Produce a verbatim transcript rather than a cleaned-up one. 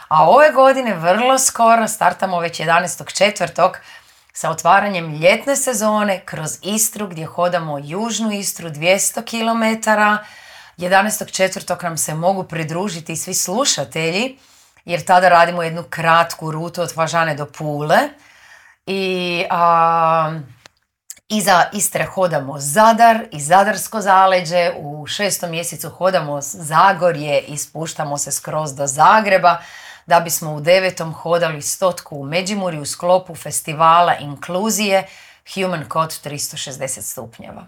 A ove godine vrlo skoro startamo već jedanaestog četvrtog sa otvaranjem ljetne sezone kroz Istru gdje hodamo južnu Istru dvjesto kilometara. jedanaestog četvrtog nam se mogu pridružiti svi slušatelji jer tada radimo jednu kratku rutu od Fažane do Pule. I a, iza Istre hodamo Zadar i Zadarsko zaleđe, u šestom mjesecu hodamo Zagorje i spuštamo se skroz do Zagreba, da bismo u devetom hodali stotku u Međimurju u sklopu festivala inkluzije Human Code tristo šezdeset stupnjeva.